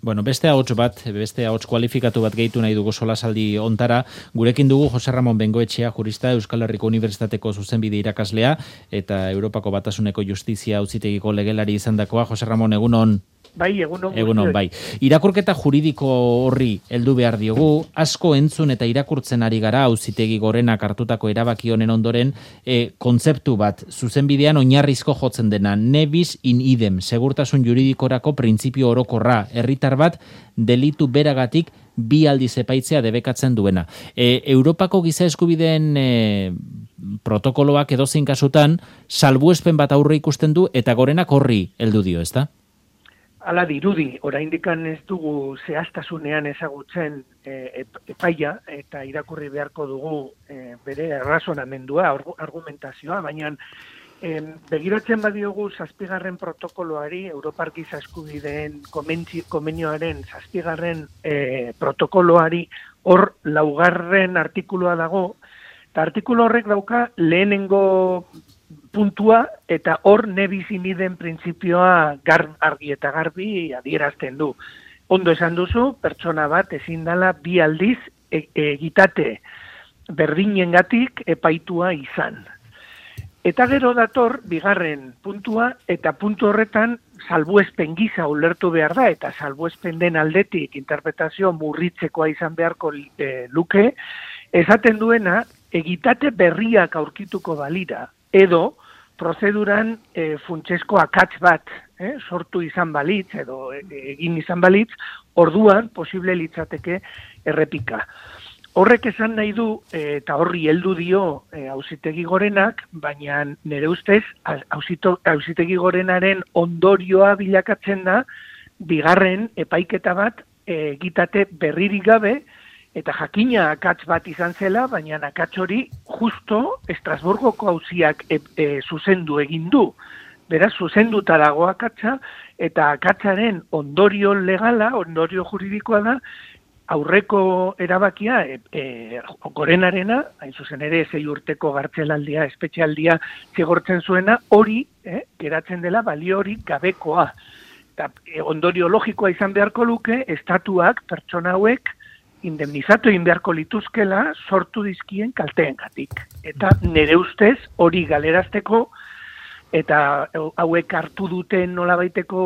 Bueno, beste ahots kualifikatu bat gehitu nahi dugu solasaldi ontara. Gurekin dugu Jose Ramon Bengoetxea, jurista, Euskal Herriko Unibertsitateko zuzenbide irakaslea eta Europako Batasuneko Justizia Auzitegiko legelari izandakoa. Jose Ramon, egunon. Bai, egunon. Egunon, bai. Irakurketa juridiko horri heldu behar diogu, asko entzun eta irakurtzen ari gara Auzitegi Gorenak hartutako erabaki honen ondoren, kontzeptu bat, zuzenbidean oinarrizko jotzen dena, ne bis in idem, segurtasun juridikorako printzipio orokorra, herritar bat delitu beragatik bi aldiz epaitzea debekatzen duena. Europako giza eskubideen protokoloak edozein kasutan salbuespen bat aurre ikusten du eta Gorenak horri heldu dio, ezta? Hala dirudi, oraindikan ez dugu zehaztasunean ezagutzen epaia eta irakurri beharko dugu bere errazonamendua, argumentazioa, baina begiratzen badiogu 7. protokoloari, Europar Giza Eskubideen Konbenioaren 7. Protokoloari hor 4. artikulua dago, eta artikulu horrek dauka lehenengo puntua eta hor ne bis in idem printzipioa argi eta garbi adierazten du. Ondo esan duzu, pertsona bat ezin dela bi aldiz egitate berdinengatik epaitua izan. Eta gero dator 2. puntua eta puntu horretan salbuespen gisa ulertu behar da eta salbuespen den aldetik interpretazio murritzekoa izan beharko luke, esaten duena egitate berriak aurkituko balira edo prozeduran funtsezko akats bat sortu izan balitz edo egin izan balitz, orduan posible litzateke errepika. Horrek esan nahi du, eta horri heldu dio Auzitegi Gorenak, baina nire ustez Auzitegi Gorenaren ondorioa bilakatzen da 2. epaiketa bat egitate berririk gabe, eta jakina akats bat izan zela, baina akats hori justo Estrasburgoko auziak zuzendu egin du. Beraz, zuzenduta dago akatsa, eta akatsaren ondorio legala, ondorio juridikoa da, aurreko erabakia Gorenarena, hain zuzen ere 6 urteko gartzelaldia, espetxealdia zigortzen zuena, hori geratzen dela baliorik gabekoa. Eta ondorio logikoa izan beharko luke, estatuak pertsona hauek indemnizatu egin beharko lituzkela sortu dizkien kalteengatik. Eta nire ustez hori galerazteko eta hauek hartu duten nolabaiteko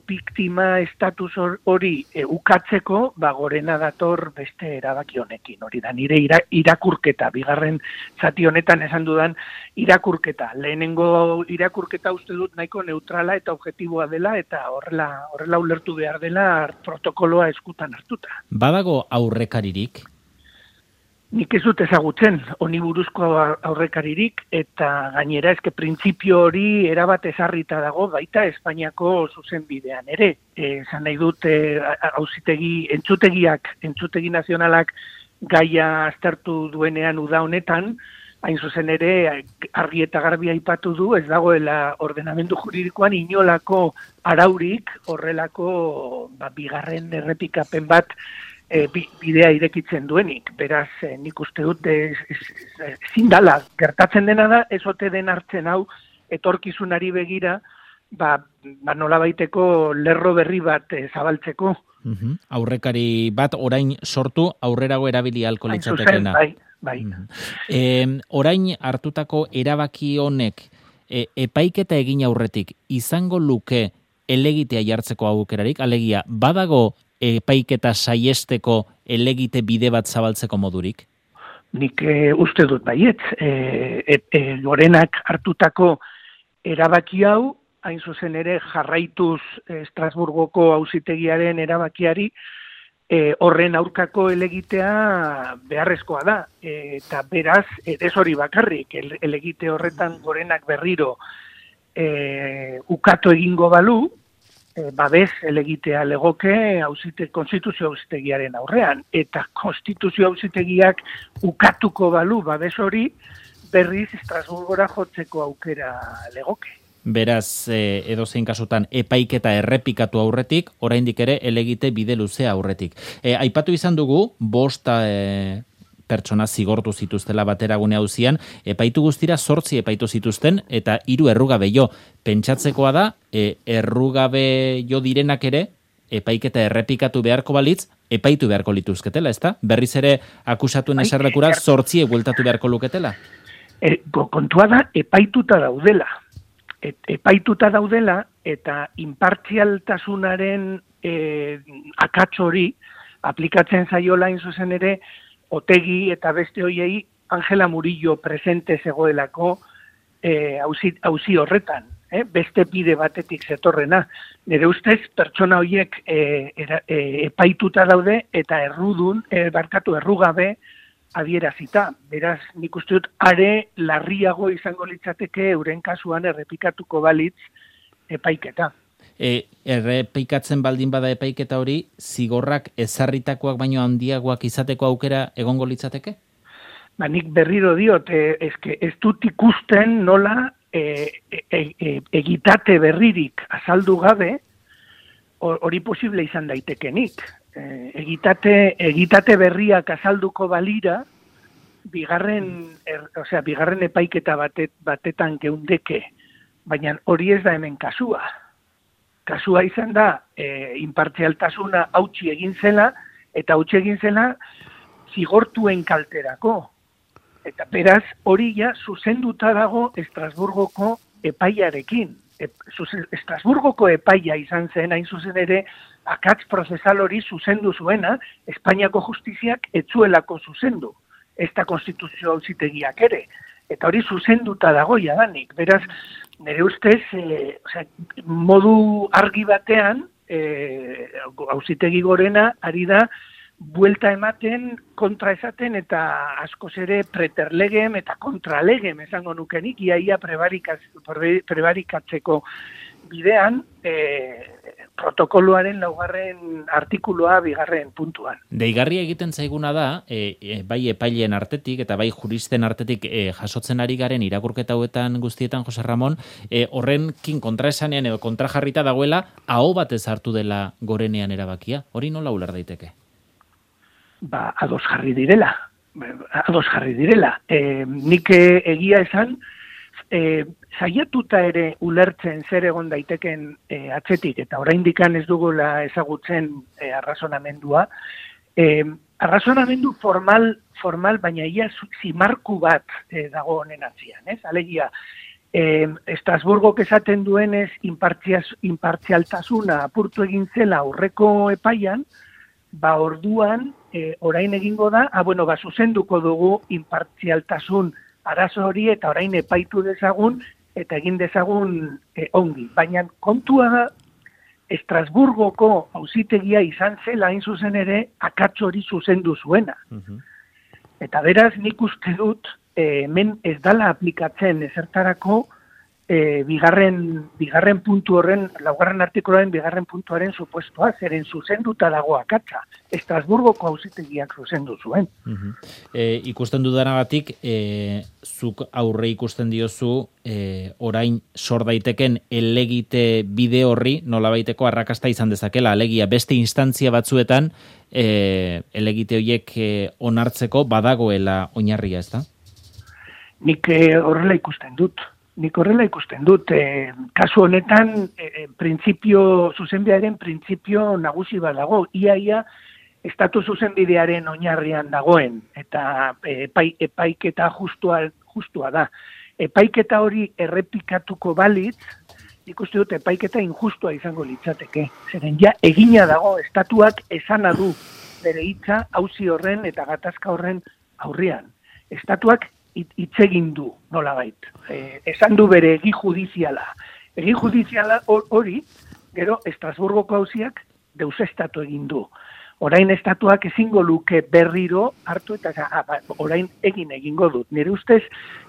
biktima estatus hori ukatzeko, Gorena dator beste erabaki honekin. Hori da nire irakurketa, 2. zati honetan esan dudan irakurketa. Lehenengo irakurketa uste dut nahiko neutrala eta objektiboa dela eta horrela ulertu behar dela protokoloa eskutan hartuta. Badago aurrekaririk? Nik ez dut ezagutzen honi buruzko aurrekaririk eta gainera eske printzipio hori erabat ezarrita dago baita Espainiako zuzenbidean ere. Esan nahi dut entzutegi nazionalak gaia aztertu duenean uda honetan, hain zuzen ere argi eta garbi aipatu du, ez dagoela ordenamendu juridikoan inolako araurik horrelako 2. errepikapen bat bidea irekitzen duenik. Beraz, nik uste dut ezin dala, gertatzen dena da, ez ote den hartzen hau etorkizunari begira, nolabaiteko lerro berri bat zabaltzeko. Aurrekari bat orain sortu, aurrerago erabili ahalko litzatekeena. Bai. Orain hartutako erabaki honek epaiketa egin aurretik izango luke elegitea jartzeko aukerarik, alegia, badago epaiketa saiesteko elegite bide bat zabaltzeko modurik? Nik uste dut baietz. Gorenak hartutako erabaki hau, hain zuzen ere jarraituz Estrasburgoko auzitegiaren erabakiari, horren aurkako elegitea beharrezkoa da. Eta beraz, ez hori bakarrik, elegite horretan Gorenak berriro ukatu egingo balu, babes elegitea legoke konstituzio auzitegiaren aurrean, eta konstituzio auzitegiak ukatuko balu babes hori berriz Estrasburgora jotzeko aukera legoke. Beraz, edozein kasutan epaiketa errepikatu aurretik, oraindik ere elegite bide luzea aurretik. Aipatu izan dugu, 5 pertsona zigortu zituztela bateragune auzian, epaitu guztira 8 epaitu zituzten, eta 3 errugabe jo. Pentsatzekoa da, errugabe jo direnak ere, epaiketa errepikatu beharko balitz, epaitu beharko lituzketela, ezta? Berriz ere akusatuen eserlekura 8 bueltatu beharko luketela? Kontua da, epaituta daudela. Epaituta daudela, eta inpartzialtasunaren akats hori aplikatzen zaiola in zuzen ere Otegi eta beste hoiei Angela Murillo presente zegoelako auzi horretan. Beste bide batetik zetorrena. Nire ustez, pertsona horiek epaituta daude eta errugabe adierazita. Beraz, nik uste dut, are larriago izango litzateke euren kasuan errepikatuko balitz epaiketa. Errepikatzen baldin bada epaiketa hori, zigorrak ezarritakoak baino handiagoak izateko aukera egongo litzateke? Nik berriro diot, ez dut ikusten nola egitate berririk azaldu gabe hori posible izan daitekenik. Egitate berriak azalduko balira bigarren epaiketa batetan geundeke, baina hori ez da hemen kasua. Kasua izan da inpartzialtasuna hautsi egin zela eta hautsi egin zela zigortuen kalterako. Eta beraz, hori ja zuzenduta dago Estrasburgoko epaiarekin. Estrasburgoko epaia izan zen, hain zuzen ere, akats prozesal hori zuzendu zuena, Espainiako justiziak etzuelako zuzendu, ez da konstituzio auzitegiak ere. Eta hori zuzenduta dago jadanik. Beraz, nire ustez, modu argi batean, auzitegi gorena ari da, buelta ematen, kontra esaten, eta askoz ere preterlegem eta kontralegem esango nukenik, iaia prebarikatzeko bidean, protokoloaren 4. artikuloa 2. puntuan. Deigarria egiten zaiguna da, bai epaileen artetik eta bai juristen artetik jasotzen ari garen irakurketa hauetan guztietan, Jose Ramon, horrenkin kontraesanean edo kontrajarrita dagoela, aho batez hartu dela gorenean erabakia. Hori nola uler daiteke? Ados jarri direla. Nik egia esan, saiatuta ere ulertzen zer egon daiteken atzetik, eta oraindikan ez dugula ezagutzen arrazonamendua. Arrazonamendu formal, baina ia zimarku bat dago honen atzian. Alegia, Estrasburgok esaten duenez inpartzialtasuna apurtu egin zela aurreko epaian, orduan, orain egingo da, zuzenduko dugu inpartzialtasun arazo hori eta orain epaitu dezagun eta egin dezagun ongi. Baina kontua da, Estrasburgoko auzitegia izan zela hain zuzen ere akats hori zuzendu zuena. Eta beraz nik uste dut, hemen ez dala aplikatzen ezertarako bigarren puntu horren, 4. artikuluaren 2. puntuaren supuestoa, zeren zuzenduta dago akatsa. Estrasburgoko auzitegiak zuzendu zuen. Ikusten dudanagatik, zuk aurre ikusten diozu, orain sor daiteken elegite bide horri, nolabaiteko arrakasta izan dezakela, alegia beste instantzia batzuetan, elegite horiek onartzeko badagoela oinarria, ez da? Nik horrela ikusten dut. Kasu honetan, zuzenbidearen printzipio nagusi badago. Ia estatu zuzenbidearen oinarrian dagoen, eta epaiketa justua da. Epaiketa hori errepikatuko balitz, ikuste dut epaiketa injustua izango litzateke. Zeren ja, egina dago, estatuak esana du bere hitza auzi horren eta gatazka horren aurrean. Estatuak hitz egin du, nolabait. Esan du bere egi judiziala. Egi judiziala hori, gero, Estrasburgoko auziak deusestatu egin du. Orain estatuak ezingo luke berriro hartu eta orain egingo dut. Nire ustez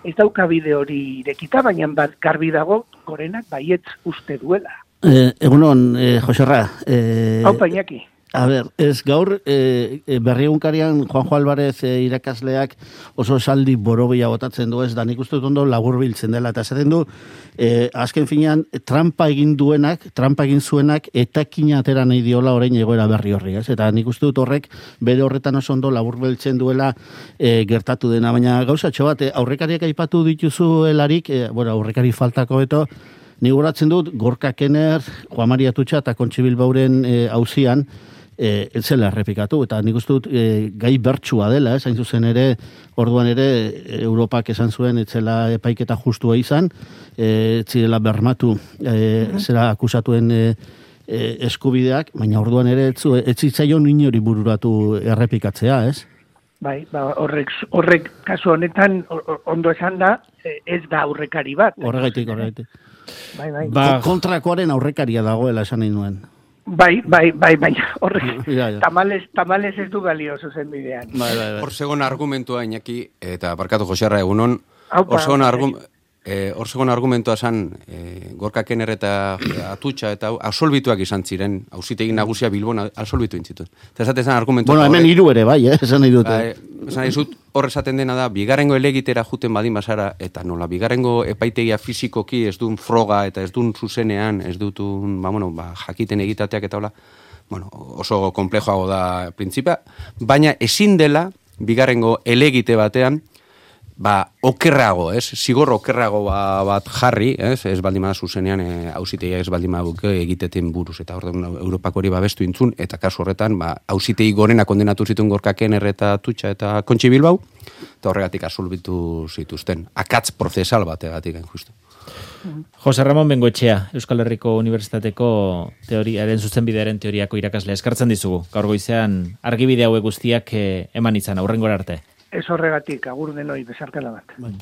ez dauka bide hori irekita, baina garbi dago gorenak baietz uste duela. Egunon, Joserra. Haupa, Iñaki. A ber, ez gaur, berriegunkarian Juanjo Álvarez irakasleak oso esaldi borobila botatzen du, ez da nik uste dut ondo labur biltzen dela, eta esaten du, azken finean, trampa egin zuenak, etakin atera nahi diola orain egoera berri horri, ez? Eta nik uste dut horrek, bere horretan oso ondo labur biltzen duela gertatu dena, baina gauzatxo bat, aurrekariak aipatu dituzu helarik, aurrekari faltako beto, Ni goratzen dut, Gorka Kenner, Juan Maria Atutxa eta Kontxi Bilbauren auzian, ez zela errepikatu, eta nik uste dut gai bertsua dela, hain zuzen ere, orduan ere, Europak esan zuen, ez zela epaiketa justua izan, ez zirela bermatu, zera akusatuen eskubideak, baina orduan ere ez zitzaion inori bururatu errepikatzea, ez? Bai, horrek kasu honetan ondo esan da, ez da aurrekari bat. Horregatik. Bai. Kontrakoaren aurrekaria dagoela esan nahi nuen. Bai, baina horrek Ja. tamales ez du balio zuzen bidean. Bai. Hor segon argumentua, Iñaki, eta barkatu Joserra egunon, hor segon argumentua zan, Gorka Kenner eta Atutxa eta absolbituak izan ziren, auzitegi nagusia Bilbon absolbitu intzituen. Eta esate zan argumentua... Bueno, hemen hiru ere, bai, esan nahi dute. Esan nahi zut, hor esaten dena da, bigarrengo elegitera juten badin bazara, eta nola, bigarrengo epaitegia fizikoki ez duen froga eta ez duen zuzenean, ez dutun, jakiten egitateak eta hola, oso komplejoago da printzipia, baina ezin dela, bigarrengo elegite batean, okerrago, zigor okerrago bat jarri, ez baldima zuzenean auzitegia ez baldima egiteten buruz, eta orduan Europak hori babestu intzun, eta kasu horretan, auzitegi gorena kondenatu zituen Gorka Kenner eta Atutxa eta Kontxi Bilbau, eta horregatik absolbitu zituzten. Akatz prozesal bategatik, justu. Jose Ramon Bengoetxea, Euskal Herriko Unibertsitateko teoriaren zuzenbidearen teoriako irakaslea. Eskartzen dizugu, gaur goizean argibide hauek guztiak eman izan, aurrengora arte. Ez horregatik, agur denoi, besarkala bat.